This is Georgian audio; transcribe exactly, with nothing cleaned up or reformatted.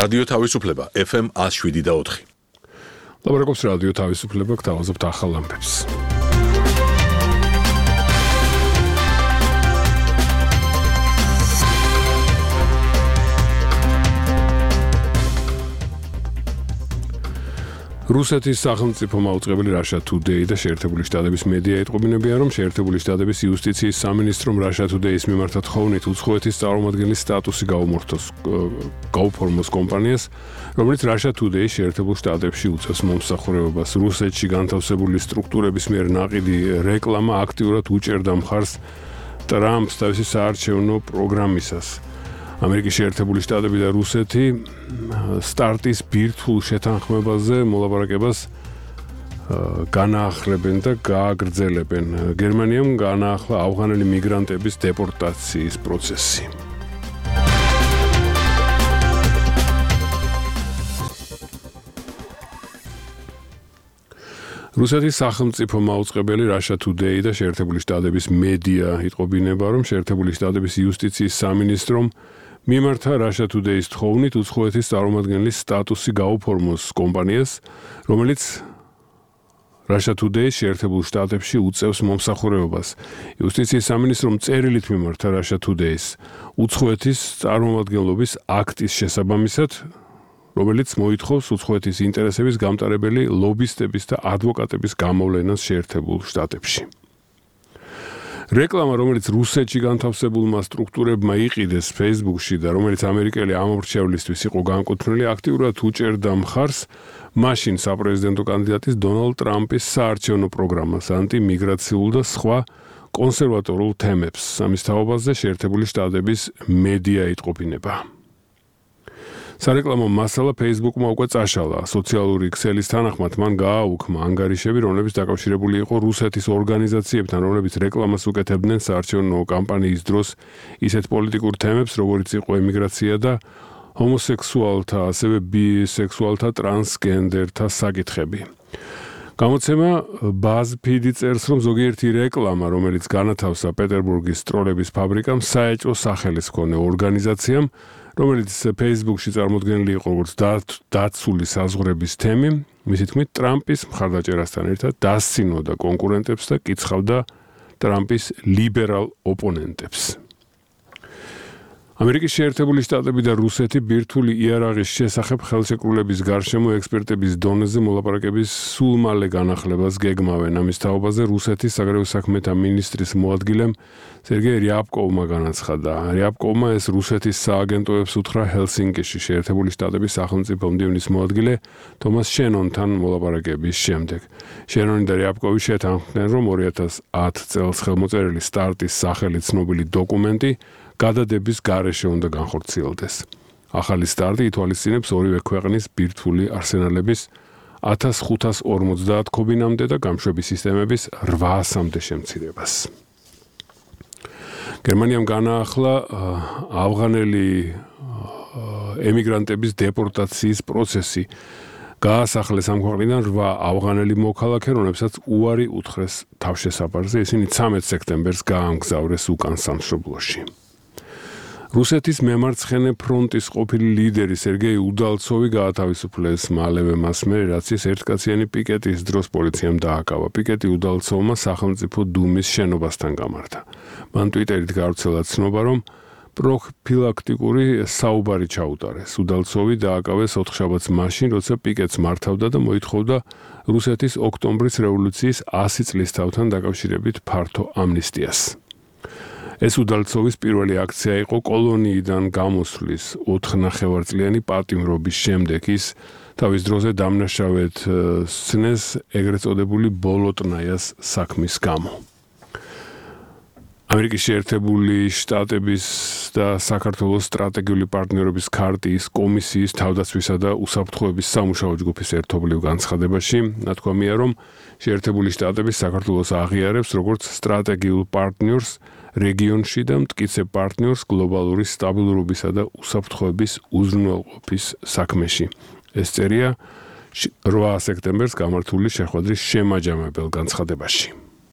რადიო თავისუფლება ეფ ემ one oh seven point four. ლაბორატორიის რადიო თავისუფლება გთავაზობთ ახალ ამბებს. რუსეთის სახელმწიფო მაუწყებელი Russia Today და შეერთებული შტატების მედია ეტყობინებიან, რომ შეერთებული შტატების იუსტიციის სამინისტრომ Russia Today-ის მიმართ თხოვნით უცხოეთის წარმომადგენლის სტატუსი გაუმართოს გაუფორმოს კომპანიას, რომელიც Russia Today-ის შეერთებულ შტატებში უწევს მომსახურებას. რუსეთში განთავსებული სტრუქტურების მიერ ნაყიდი რეკლამა აქტიურად უჭერდა მხარს ტრამპს თავისი საარჩევნო პროგრამისას. ამერიკის შეერთებული შტატები და რუსეთი სტარტის ბირთვულ შეთანხმებაზე მოლაპარაკებას განაახლებენ და გააგრძელებენ. გერმანიამ განაახლა ავღანელი მიგრანტების დეპორტაციის პროცესი. რუსეთის სახელმწიფო მაუწყებელი Russia Today და შეერთებული შტატების მედია იტყობინება, რომ შეერთებული შტატების იუსტიციის სამინისტრომ მიმართა Russia Today-ის თხოვნით უცხოეთის წარმომადგენლის სტატუსი გაუფორმოს კომპანიას, რომელიც Russia Today-ის შეერთებულ შტატებში უწევს მომსახურებას. იუსტიციის სამინისტრომ წერილით მიმართა Russia Today-ის უცხოეთის წარმომადგენლობის აქტის შესაბამისად, რომელიც მოითხოვს უცხოეთის ინტერესების გამტარებელი ლობისტების და ადვოკატების გამოვლენას შეერთებულ შტატებში. რეკლამა, რომელიც რუსეთში განთავსებულმა სტრუქტურებმა იყიდეს Facebook-ში და რომელიც ამერიკელი ამორჩევლისთვის იყო განკუთვნილი, აქტიურად უჭერდა მხარს მაშინ საპრეზიდენტო კანდიდატის დონალდ ტრამპის საარჩევნო პროგრამას, ანტიმიგრაციულ და სხვა კონსერვატორულ თემებს. ამის თაობაზე შეერთებული შტატების მედია იტყობინება. სარეკლამო მასალა Facebook-მა უკვე წაშალა. სოციალური ქსელის თანახმად მან გააუქმა ანგარიშები, რომლებიც დაკავშირებული იყო რუსეთის ორგანიზაციებთან, რომლებიც რეკლამას უკეთებდნენ საარჩევნო კამპანიის დროს ისეთ პოლიტიკურ თემებს, როგორიც იყო ემიგრაცია და ჰომოსექსუალთა, ასევე ბისექსუალთა, ტრანსგენდერთა საკითხები. გამოცემა BuzzFeed წერს, რომ ზოგიერთი რეკლამა, რომელიც განათავსა პეტერბურგის სტროლების ფაბრიკამ, საეჭვო სახელის მქონე ორგანიზაციამ, რომელიც Facebook-ში წარმოდგენილი იყო როგორც დაცული საზღვრების თემი, მისი თქმით, ტრამპის მხარდაჭერასთან ერთად დასცინოდა კონკურენტებს და კიცხავდა ტრამპის ლიბერალ ოპონენტებს. ამერიკის შეერთებული შტატები და რუსეთი ბირთვული იარაღის შესახებ ხელშეკრულების გარშემო ექსპერტების დონეზე მოლაპარაკების სულ მალე განახლებას გეგმავენ. ამის თაობაზე რუსეთის საგარეო საქმეთა მინისტრის მოადგილემ სერგეი რიაბკოვმა განაცხადა. რიაბკოვმა ეს რუსეთის სააგენტოებს უთხრა ჰელსინკიში შეერთებული შტატების სახელმწიფო მდივნის მოადგილე თომას შენონთან მოლაპარაკების შემდეგ. შენონი და რიაბკოვი შეთანხმდნენ, რომ ორი ათას ათ წელს ხელმოწერილი სტარტის სახელით ცნობილი დოკუმენტი გადადების გარეშე უნდა განხორციელდეს. ახალი სტარტი ითვალისწინებს ორივე ქვეყნის ბირთვული არსენალების ათას ხუთას ორმოცდაათ ქობინამდე და გამშვები სისტემების რვაასამდე შემცირებას. გერმანიამ განაახლა ავღანელი ემიგრანტების დეპორტაციის პროცესი. გაასახლეს ამ ქვეყნიდან რვა ავღანელი მოქალაქე, რომლებსაც უარი უთხრეს თავშესაფარზე. ისინი ცამეტ სექტემბერს გაამგზავრეს უკან სამშობლოში. რუსეთის მემარცხენე ფრონტის ყოფილი ლიდერი სერგეი უდალცოვი გაათავისუფლეს მალევე მასმე, რაც ის ერთკაციანი პიკეტის დროს პოლიციამ დააკავა. პიკეტი უდალცოვმა სახელმწიფო დუმის შენობასთან გამართა. მან ტვიტერით გავრცელა ცნობა, რომ პროფილაქტიკური საუბარი ჩაუტარეს. უდალცოვი დააკავეს ოთხშაბათს მაშინ, როცა პიკეტს მართავდა და მოითხოვდა რუსეთის ოქტომბრის რევოლუციის ასი წლის თავთან დაკავშირებით ფართო ამნისტიას. ეს უდალცოვის პირველი აქცია იყო კოლონიიდან გამოსვლის ოთხნახევარწლიანი პატიმრობის შემდეგ. ის თავის დროზე დამნაშავედ სცნეს ეგრეთ წოდებული ბოლოტნაიას საქმის გამო. ამერიკის შეერთებული შტატების და საქართველოს სტრატეგიული პარტნიორობის ქარტიის კომისიის თავდაცვისა და უსაფრთხოების სამუშაო ჯგუფის ერთობლივ განცხადებაში ნათქვამია, რომ შეერთებული შტატები საქართველოს აღიარებს როგორც სტრატეგიულ პარტნიორს რეგიონში და მტკიცე პარტნიორს გლობალური სტაბილურობისა და უსაფრთხოების უზრუნველყოფის საქმეში. ეს წერია რვა სექტემბერს გამართული შეხვედრის შემაჯამებელ განცხადებაში.